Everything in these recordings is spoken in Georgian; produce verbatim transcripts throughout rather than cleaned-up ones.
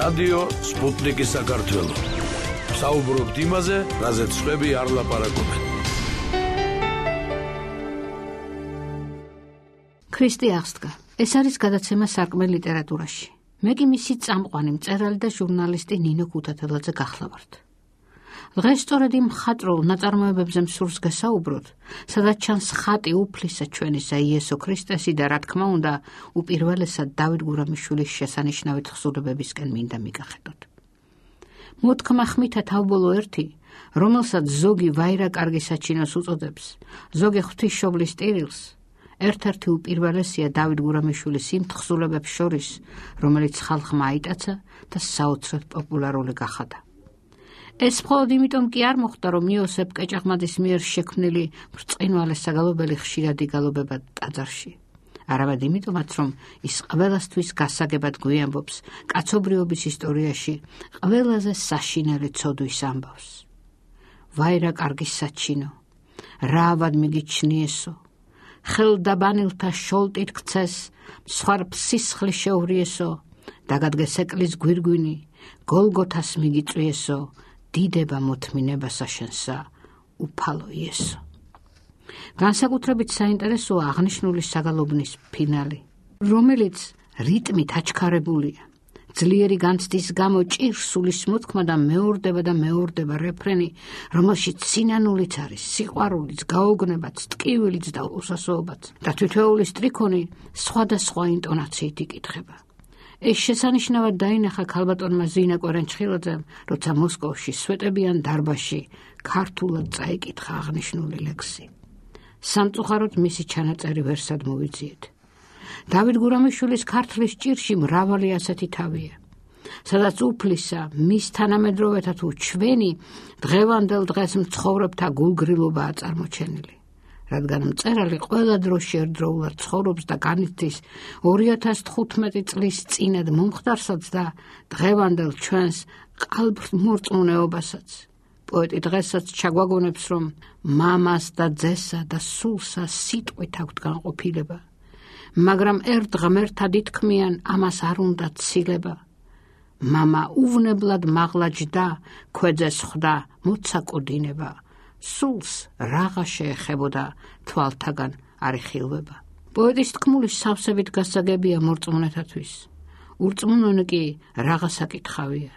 რადიო სპუტნიკი საქართველო. საუბრობთ იმაზე, რაზეც სხვები არ ლაპარაკობენ. ქრისტე აღსდგა. ეს არის გადაცემა სარკმელ ლიტერატურაში. მე კი მისი წამყვანი მწერალი და ჟურნალისტი ნინო ქუთათელაძე გახლავართ. დღეს სწორედ იმ მხატვრულ ნაწარმოებებზე მსურს გასაუბროთ, სადაც ჩანს ხატი უფლისა ჩვენისა იესო ქრისტესი და რა თქმა უნდა, უპირველესად დავით გურამიშვილის შესანიშნავი თხზულებებისკენ მინდა მიგახედოთ. მოთქმა ხმითა თავბოლო ერთი, რომელსაც ზოგი ვაირა კარგი საჩინოს უწოდებს, ზოგი ღვთისმშობლის ტირილს, ერთ-ერთი უპირველესია დავით გურამიშვილის იმ თხზულებებს შორის, რომელიც ხალხმა აიტაცა და საოცრად პოპულარული გახადა. ეს მხოლოდ იმიტომ კი არ მოხდა, რომ იოსებ კეჭაღმადის მიერ შექმნილი ბრწყინვალე საგალობელი ხშირად იგალობება ტაძარში. არამედ იმიტომაც, რომ ის ყველასთვის გასაგებად გვიამბობს კაცობრიობის ისტორიაში ყველაზე საშინელი ცოდვის ამბავს. ვაირა კარგი საჩინო, რა ავად მიგიჩნიესო, ხელდაბანილთა შოლტით ქცეს, მსხვარ სისხლი შეურიესო, დაგადგეს ეკლის გვირგვინი, გოლგოთას მიგიწვიესო, დიდება მოთმინება საშენსა, უფალო იესო. განსაკუთრებით საინტერესოა აღნიშნული საგალობნის ფინალი, რომელიც რიტმით აჩქარებულია. ძლიერი განცდის გამო ჭირსულის მოთქმა და მეორდება და მეორდება რეფრენი, რომელშიც სინანულიც არის, სიყვარულიც, გაოგნებაც, ტკივილიც და უსასოობაც და თითოეული სტრიქონი სხვადასხვა ინტონაციით იკითხება. ეს შესანიშნავად დაინახა ქალბატონმა ზინა კვერენჩხილაძემ, როცა მოსკოვში სვეტებიან დარბაზში ქართულად წაიკითხა აღნიშნული ლექსი. სამწუხაროდ მისი ჩანაწერი ვერსად მოვიძიეთ. დავით გურამიშვილის ქართლის ჭირში მრავალი ასეთი თავია, სადაც უფლისა, მის თანამედროვეთა თუ ჩვენი დღევანდელ დღეს მცხოვრებთა გულგრილობაა წარმოჩენილი. რადგან მწერალი ყველა დროში ერთდროულად ცხოვრობს და განიცდის ორი ათას თხუთმეტი წლის წინად მომხდარსაც და დღევანდელ ჩვენს ყალბმორწმუნეობასაც. პოეტი დღესაც ჩაგვაგონებს, რომ მამას და ძესა და სულსა სიტყვით აქვთ განყოფილება, მაგრამ ერთ ღმერთად ითქმიან, ამას არ უნდა ცილება. მამა უვნებლად მაღლაჯდა, ქვეძეს ხვდა, მოცაკოდინება. სულს რაღა შეეხებოდა, თვალთაგან არ იხილვება. პოეტის თქმული სავსებით გასაგებია მორწმუნეთათვის. ურწმუნონი კი რაღა საკითხავია.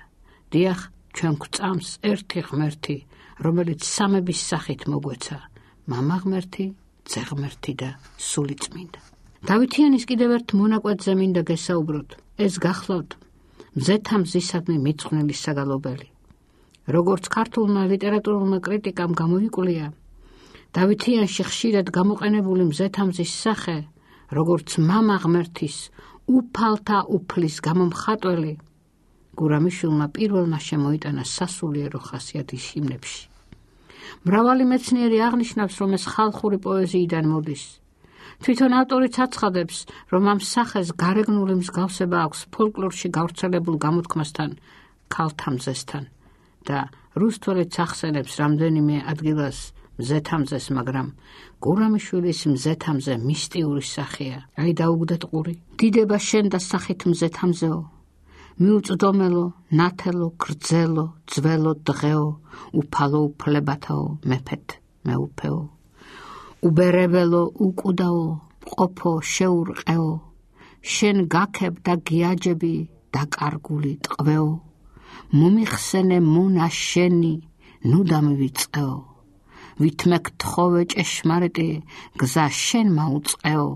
დიახ, ჩვენ გვწამს ერთი ღმერთი, რომელიც სამების სახით მოგვეცა, მამა ღმერთი, ძე ღმერთი და სული წმინდა. დავითიანის კიდევ ერთ მონაკვეთზე მინდა გესაუბროთ. ეს გახლავთ მზეთა მზისადმი მიწყვნილი საგალობელი. როგორც ქართულმა ლიტერატურულმა კრიტიკამ გამოიკვლია, დავითიანში ხშირად გამოყენებული მზეთა მზის სახე, როგორც მამა ღმერთის უფალთა უფლის გამომხატველი, გურამიშვილმა პირველმა შემოიტანა სასულიერო ხასიათის ჰიმნებში. მრავალი მეცნიერი აღნიშნავს, რომ ეს ხალხური პოეზიიდან მოდის. თვითონ ავტორიც აცხადებს, რომ ამ სახეს გარეგნული მსგავსება აქვს ფოლკლორში გავრცელებულ გამოთქმასთან, ქალთა მზესთან და რუსთველიც ახსენებს რამდენიმე ადგილას მზეთა მზეს, მაგრამ გურამიშვილის მზეთა მზე მისტიური სახეა. აი დაუგდეთ ყური. დიდება შენ და სახით მზეთა მზეო, მიუწვდომელო, ნათელო, გრძელო, ძველო, დღეო, უფალო უფლებათაო, მეფეთ მეუფეო. უბერებელო, უკუდაო, ყოფო, შეურყეო, შენ გაქებ და გიაჯები, დაკარგული ტყვეო, მომიხსენე მონა შენი, ნუ დამივიწყეო, ვითმე გთხოვე ჭეშმარიტი, გზა შენ მაუწყეო.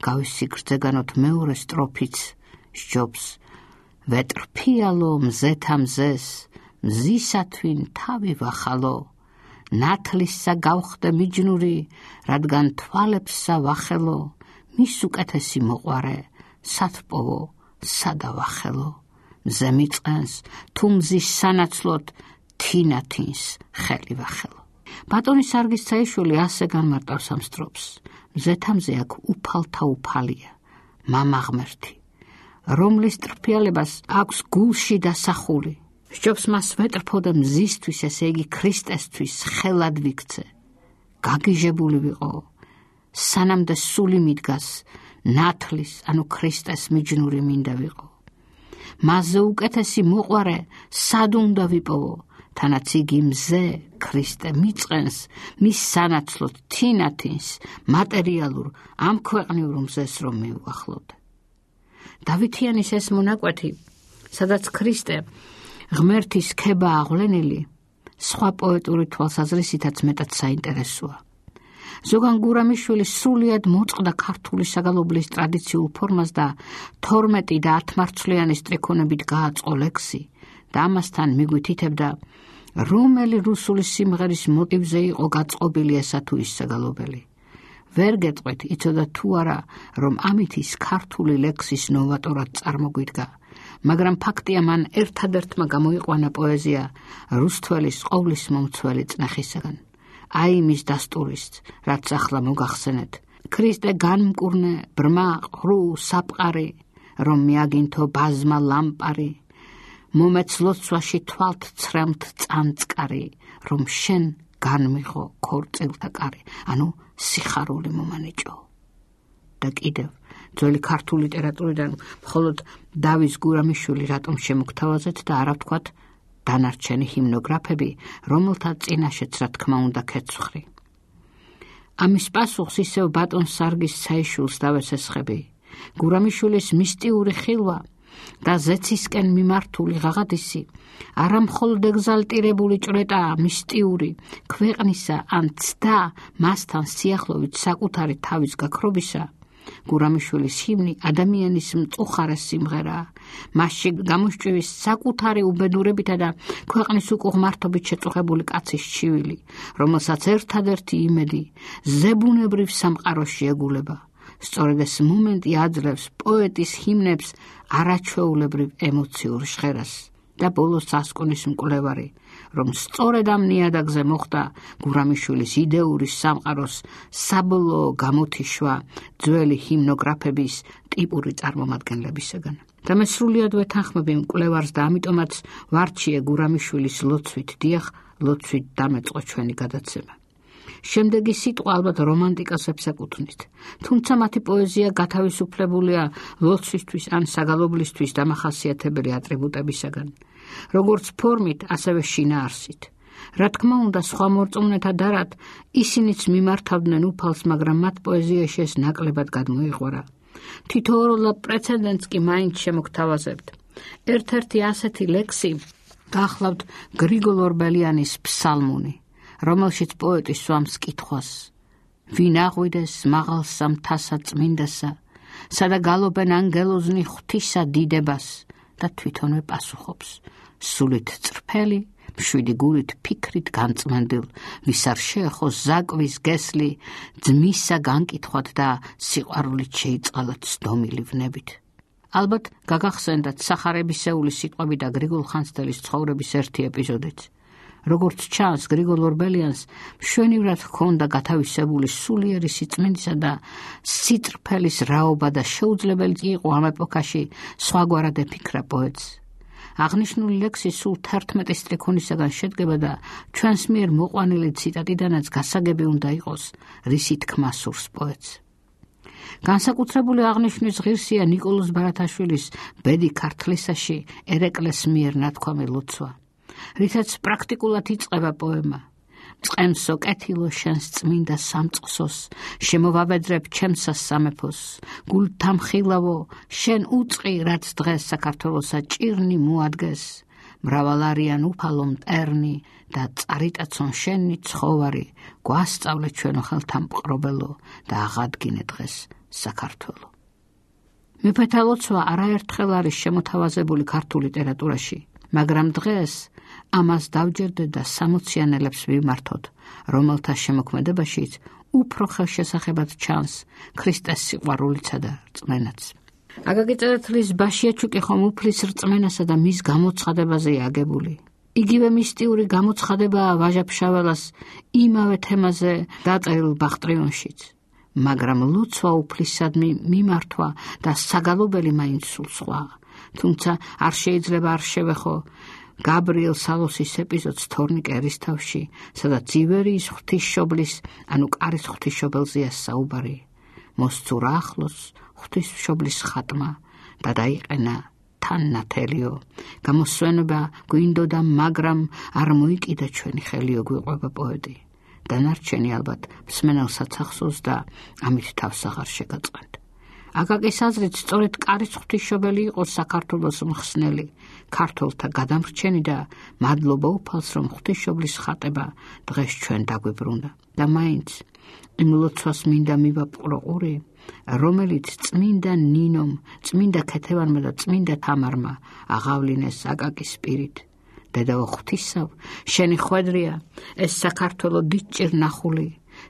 გავისი გრძეგანოთ მეორე სტროფიც სჯობს, ვეტრფიალო მზეთა მზეს, მზისათვინ თავი ვახალო, ნათლისა გავხდე მიჯნური, რადგან თვალებსა ვახელო, მის უკეთესი მოყვარე, სათპოვო, სადავახელო. მზე მიწყენს, თუ მზის სანაცვლოდ, თინათინს ხელი ვახელო. ბატონი სარგის ცაიშვილი ასე განმარტავს ამ სტროფს. მზეთა მზე აქ უფალთა უფალია, მამა ღმერთი, რომლის ტრფიალებას აქვს გულში დასახული. სჯობს მას ვეტრფოდე მზისთვის, ესე იგი ქრისტესთვის ხელად ვიქცე. გაგიჟებული ვიყო, სანამდე სული მიდგას, ნათლის, ანუ ქრისტეს მიჯნური მინდა ვიყო. მასზე უკეთესი მოყვარე სად უნდა ვიპოვო, თანაც იგი მზე ქრისტე მიწყენს მის სანაცვლოდ თინათინს მატერიალურ ამ ქვეყნიურ მზეს რომ მივუახლოვდე. დავითიანის ეს მონაკვეთი, სადაც ქრისტე ღმერთის ქება აღვლენილი, სხვა პოეტური თვალსაზრისითაც მეტად საინტერესოა. ზოგან გურამიშვილი სრულიად მოწყდა ქართული საგალობლის ტრადიციულ ფორმას და თორმეტი და ათმარცვლიანი სტრიქონებით გააწყო ლექსი და ამასთან მიგვითითებდა, რომელი რუსული სიმღერის მოტივზე იყო გაწყობილი ესა თუ ის საგალობელი. ვერ გეტყვით, იცოდა თუ არა, რომ ამით ის ქართული ლექსის ნოვატორად წარმოგვიდგა, მაგრამ ფაქტია მან ერთადერთმა გამოიყვანა პოეზია რუსთველის ყოვლის მომცველი წნეხისაგან. აი მის დასტურის, რაც ახლა მოგახსენეთ, ქრისტე განმკურნე ბრმა ყრუ საფყარი, რომ მიაგინთო ბაზმა ლამპარი, მომეც ლოცვაში თვალთ ცრემთ წანწკარი, რომ შენ განმიღო ქორწილთა კარი, ანუ სიხარული მომანიჭო. და კიდევ ძველი ქართული ლიტერატურიდან მხოლოდ დავის გურამიშვილი რატომ შემოგთავაზეთ და არა ვთქვათ დანარჩენი ჰიმნოგრაფები, რომელთა წინაშეც რა თქმა უნდა ქეცვხრი. ამის პასუხს ისევ ბატონ სარგის საიშვილს დავესესხები. გურამიშვილის მისტიური ხილვა და ზეცისკენ მიმართული ღაღადისი არა მხოლოდ ეგზალტირებული ჭრეტაა მისტიური ქვეყნისა ან ცდა მასთან სიახლოვით საკუთარი თავის გაქრობისა. გურამიშვილის ჰიმნი ადამიანის მწუხარე სიმღერაა. მასში გამოსჭვის საკუთარი უბედურებითა და ქვეყნის უკუღმართობით შეწუხებული კაცის ჩივილი, რომელსაც ერთადერთი იმედი ზებუნებრივ სამყაროში ეგულება. სწორედ ეს მომენტი აძლევს პოეტის ჰიმნებს არაჩვეულებრივ ემოციურ ჟღერას. და ბოლოს ასკონის მკვლევარი, რომ სწორედ ამ ნიადაგზე მოხდა გურამიშვილის იდეური სამყაროს საბოლოო გამოთიშვა ძველი ჰიმნოგრაფების ტიპური წარმომადგენლებისაგან. და მე სრულიად ვეთანხმები მკვლევარს და ამიტომაც ვარჩიე გურამიშვილის ლოცვით, დიახ, ლოცვით დამეწყო ჩვენი გადაცემა. შემდეგი სიტყვა ალბათ რომანტიკას ეკუთვნით, თუმცა მათი პოეზია გათავისუფლებულია ლოცვისთვის ან საგალობლისთვის დამახასიათებელი ატრიბუტებისაგან, როგორც ფორმით, ასევე შინაარსით. რა თქმა უნდა, სხვა მორწმუნეთა დარად ისინიც მიმართავდნენ უფალს, მაგრამ მათ პოეზიაში ეს ნაკლებად გადმოიღვარა. თითოეულ პრეცედენტს კი მაინც შემოგთავაზებთ. ერთ-ერთი ასეთი ლექსი გახლავთ გრიგოლ ორბელიანის ფსალმუნი, რომელშიც პოეტი სვამს კითხვას: ვინ აღვიდეს მაღალსა მთასა წმინდასა, სადა გალობენ ანგელოზნი ღვთისა დიდებას, და თვითონვე პასუხობს: სულით წრფელი, მშვიდი გულით ფიქრით განწმენდილ, ვის არ შეეხო ზაკვის გესლი, ძმისა განკითხვად და სიყვარულით შეიწყალათ სდომილი ვნებით. ალბათ გაგახსენდათ სახარებისეული სიტყვები და გრიგოლ ხანძთელის ცხოვრების ერთი ეპიზოდიც. როგორც ჩანს, გრიგოლ ორბელიანს მშვენივრად ჰქონდა გათავისებული სულიერი სიწმინდისა და სიტრფელის რაობა და შეუძლებელი იყო ამ ეპოქაში სხვაგვარად ეფიქრა პოეტს. აღნიშნული ლექსი სულ თერთმეტი სტრიქონისაგან შედგება და ჩვენს მიერ მოყვანილი ციტატიდანაც გასაგები უნდა იყოს, რისი თქმა სურს პოეტს. განსაკუთრებული აღნიშვნის ღირსია ნიკოლოზ ბარათაშვილის ბედი ქართლისაში ერეკლეს მიერ ნათქვამი ლოცვა, რითაც პრაქტიკულად იწყება პოემა. წყემსო კეთილო შენს წმინდა სამწყსოს, შემოვავედრებ ჩემსა სამეფოს, გულთამხილავო შენ უწყი, რაც დღეს საქართველოსა ჭირნი მოადგეს, მრავალ არიან უფალო მტერნი და წარიტაცონ შენი ცხოვარი, გვასწავლე ჩვენო ხელთამპყრობელო და აღადგინე დღეს საქართველო. მეფეთა ლოცვა არაერთხელ არის შემოთავაზებული ქართულ ლიტერატურაში, მაგრამ დღეს ამას დავჯერდე და სამოციანელებს ვიმართოთ, რომელთა შემოქმედებაშიც უფრო ხელშესახებად ჩანს ქრისტეს სიყვარულიცა და რწმენაც. აკაკი წერეთლის ბაშიაჩუკი ხომ უფლის რწმენასა და მის გამოცხადებაზეა აგებული. იგივე მისტიური გამოცხადებაა ვაჟა-ფშაველას იმავე თემაზე დაწერილ ბახტრიონშიც, მაგრამ ლოცვა უფლისადმი მიმართვა და საგალობელი მაინც სულ სხვაა. თუმცა არ შეიძლება არ შევეხო გაბრიელ სალოსის ეპიზოდს თორნიკე ერისთავში, სადაც ივერიის ღვთისმშობლის, ანუ კარის ღვთისმშობელზეა საუბარი. მოსწურა ახლოს ღვთისმშობლის ხატმა და დაიყენა თან ნათელიო, გამოსვენება გვინდოდა, მაგრამ არ მოიკიდა ჩვენი ხელიო, გვიყვება პოეტი. დანარჩენი ალბათ მსმენელსაც ახსოვს და ამით თავს აღარ შეგაწყენთ. აკაკის აზრით სწორედ კარის ღვთისმშობელი იყო საქართველოს მხსნელი, ქართველთა გადამრჩენი და მადლობა უფალს, რომ ღვთისმშობლის ხატება დღეს ჩვენ დაგვიბრუნდა. და მაინც იმ ლოცვას მინდა მივაპყრო ყური, რომელიც წმინდა ნინომ, წმინდა ქეთევანმა და წმინდა თამარმა აღავლინეს აკაკის პირით. დედაო ღვთისავ, შენი ხვედრია ეს საქართველო დიდჭირ ნახული,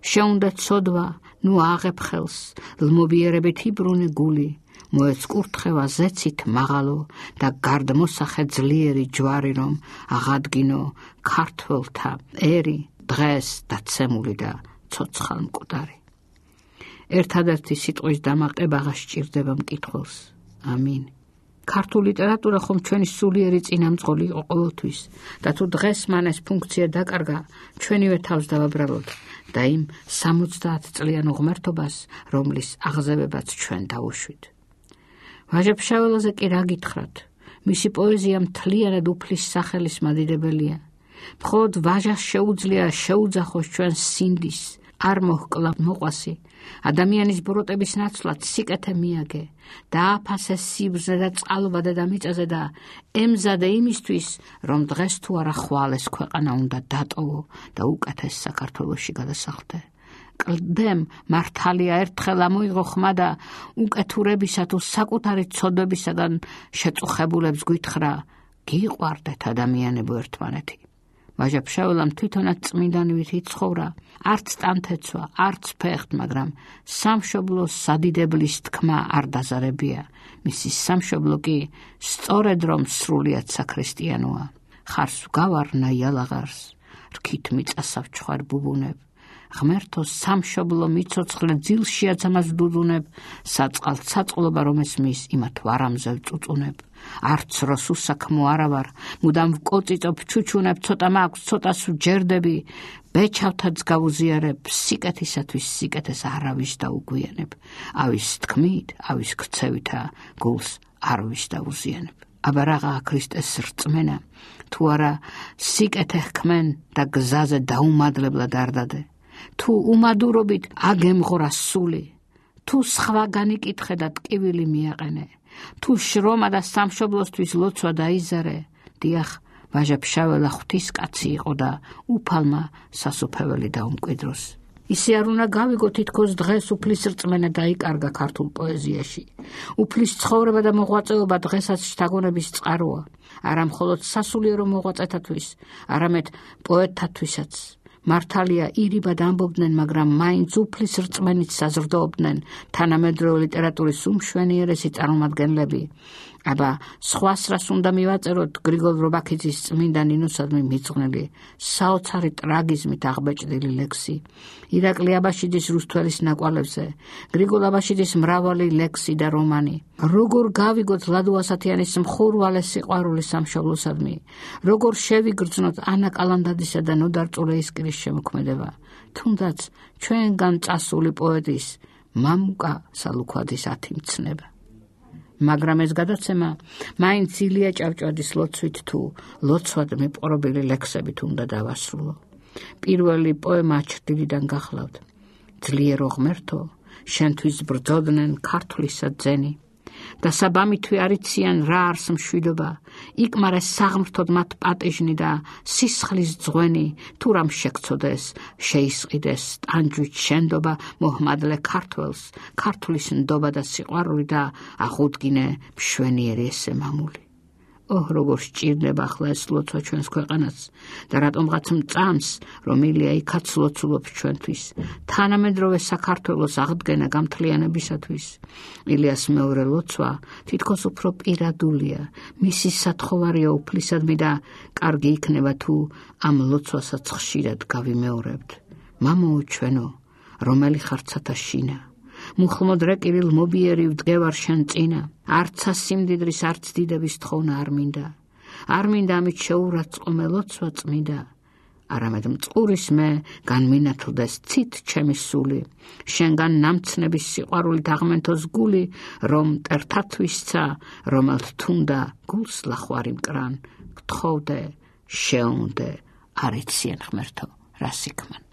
შეუნდა ცოდვა, ნუ აღებ ხელს, ლმობიერებით იბრუნე გული, მოეწკურთხევა ზეცით მაღალო და გარდმოსახე ძლიერი ჯვარი, რომ აღადგინო ქართველთა ერი, დღეს დაცემული და ცოცხალ მკვდარი. ერთადერთი სიტყვის დამაყება სჭირდება მკითხველს. ამინ. ქართული ლიტერატურა ხომ ჩვენი სულიერი წინამძღოლი იყო ყოველთვის და თუ დღეს მან ეს ფუნქცია დაკარგა, ჩვენივე თავს დავაბრალოთ და იმ სამოცდაათ წლიან უღმერთობას, რომლის აღზევებაც ჩვენ დავუშვით. ვაჟა-ფშაველაზე კი რა გითხრათ? მისი პოეზია მთლიანად უფლის სახელის მადიდებელია. მხოლოდ ვაჟას შეუძლია შეუძახოს ჩვენ სინდის, არ მოჰკლა მოყვასი, ადამიანის ბროტების ნაცვლად სიკეთე მიაგე, დააფასე სიბრძნე და წყალობა დედამიწაზე და ემზადე იმისთვის, რომ დღეს თუ არა ხვალეს ქვეყანა უნდა დატოვო და უკეთეს საქართველოში გადასახლდე. კლდემ მართალია ერთხელ ამოიღო ხმა და უკეთურებისა თუ საკუთარი ცოდვებისაგან შეწუხებულებს გვითხრა, გიყვარდეთ ადამიანებო ერთმანეთი. ვაჟა-ფშაველამ თვითონაც წმინდანივით იცხოვრა, არც ტანთეცვა, არც ფეხთ, მაგრამ სამშობლოს სადიდებლის თქმა არ დაზარებია. მისი სამშობლო კი სწორედ რომ სრულიად საქრისტიანოა. ხარს გავარნა იალაღარს, რქით მიწასავ ჩხვარ ბუბუნებ. ღმერთო სამშობლო მიცოცხლე ძილშიაც ამას დუდუნებ, საწყალ საწყლობა რომ ესმის, იმათ ვარამზე ვწუწუნებ. არც როს უსაქმო არა ვარ, მუდამ ვკოწიწობ ჩუჩუნებ, ცოტა მაქვს, ცოტას ვჯერდები, ბეჩავთაც გავუზიარებ, სიკეთისათვის სიკეთეს არავის დაუგვიანებ. ავის თქმით, ავის ქცევითა გულს არვის დაუზიანებ. აბა რაღაა ქრისტეს რწმენა, თუ არა სიკეთე ჰქმენ და გზაზე დაუმადლებლად არ დადე. თუ უმადურობით აგემღორა სული, თუ სხვა განიკითხე და ტკივილი მიაყენე, თუ შრომა და სამშობლოსთვის ლოცვა დაიზარე, დიახ, ვაჟა-ფშაველა ღვთისკაცი იყო და უფალმა სასופველი დაუმკვიდროს. ისე არ უნდა გავიგო თითქოს დღეს უფლის რწმენა დაიკარგა ქართულ პოეზიაში. უფლის ცხოვრება და მოღვაწეობა დღესაც შთაგონების წყაროა, არა მხოლოდ სასულიერო მოღვაწეთათვის, არამედ პოეტთათვისაც. მართალია ირიბად ამბობდნენ, მაგრამ მაინც უფლის რწმენით საზრდოობდნენ თანამედროვე ლიტერატურის უმშვენიერესი წარმომადგენლები. აბა სხვას რას უნდა მივაწეროთ გრიგოლ რობაქიძის წმინდა ნინოსადმი მიძღვნილი საოცარი ტრაგიზმით აღბეჭდილი ლექსი, ირაკლი აბაშიძის რუსთველის ნაკვალევზე, გრიგოლ აბაშიძის მრავალი ლექსი და რომანი. როგორ გავიგოთ ლადო ასათიანის მხურვალე სიყვარული სამშობლოსადმი, როგორ შევიგრძნოთ ანა კალანდადისა და ნოდარ წულეისკირის შემოქმედება, თუნდაც ჩვენგან წასული პოეტის მამუკა სალუქვაძის ათი მცნება. მაგრამ ეს გადაცემა მაინც ილია ჭავჭავაძის ლოცვით თუ ლოცვად მიპყრობილი ლექსებით უნდა დავასრულო. პირველი პოემა ჩრდილიდან გახლავთ. ძლიერო ღმერთო, შენთვის ბრძოდნენ ქართლისა ძენი და საბამითვე არიციან რა არს მშვიდობა, იკმარეს საღმრთოდ მათ პატიჟნი და სისხლის ძღვენი, თუ რამ შეგცოდეს, შეისყიდეს ტანჯვით შენდობა მოჰმადლე ქართველს, ქართლის ნდობა და სიყვარული და აღუდგინე მშვენიერი ესე მამული. ოჰ, როგორ სჭირდება ახლა ეს ლოცვა ჩვენს ქვეყანას და რატომღაც მწამს, რომ ილია იქაც ლოცულობს ჩვენთვის, თანამედროვე საქართველოს აღდგენა გამთლიანებისათვის. ილიას მეორე ლოცვა თითქოს უფრო პირადულია, მისი სათხოვარია უფლისადმი და კარგი იქნება თუ ამ ლოცვასაც ხშირად გავიმეორებთ. მამაო ჩვენო, რომელი ხარ ცათა შინა, მუხლმოდ რეკირილ მობიერი ვდგევარ შენ წინა, არცა სიმდიდრის არც დიდების თხოვნა არ მინდა, არ მინდა ამით შეურაცხყოფე ლოცვა წმინდა, არამედ მწყურის მე განმინათლდეს ცით ჩემი სული, შენგან ნამცნების სიყვარულით აღმენთოს გული, რომ მტერთათვისცა, რომელთ თუნდა გულს ლახვარი მკრან, გთხოვდე, შეუნდე, არ იციან ღმერთო, რა სიქმან.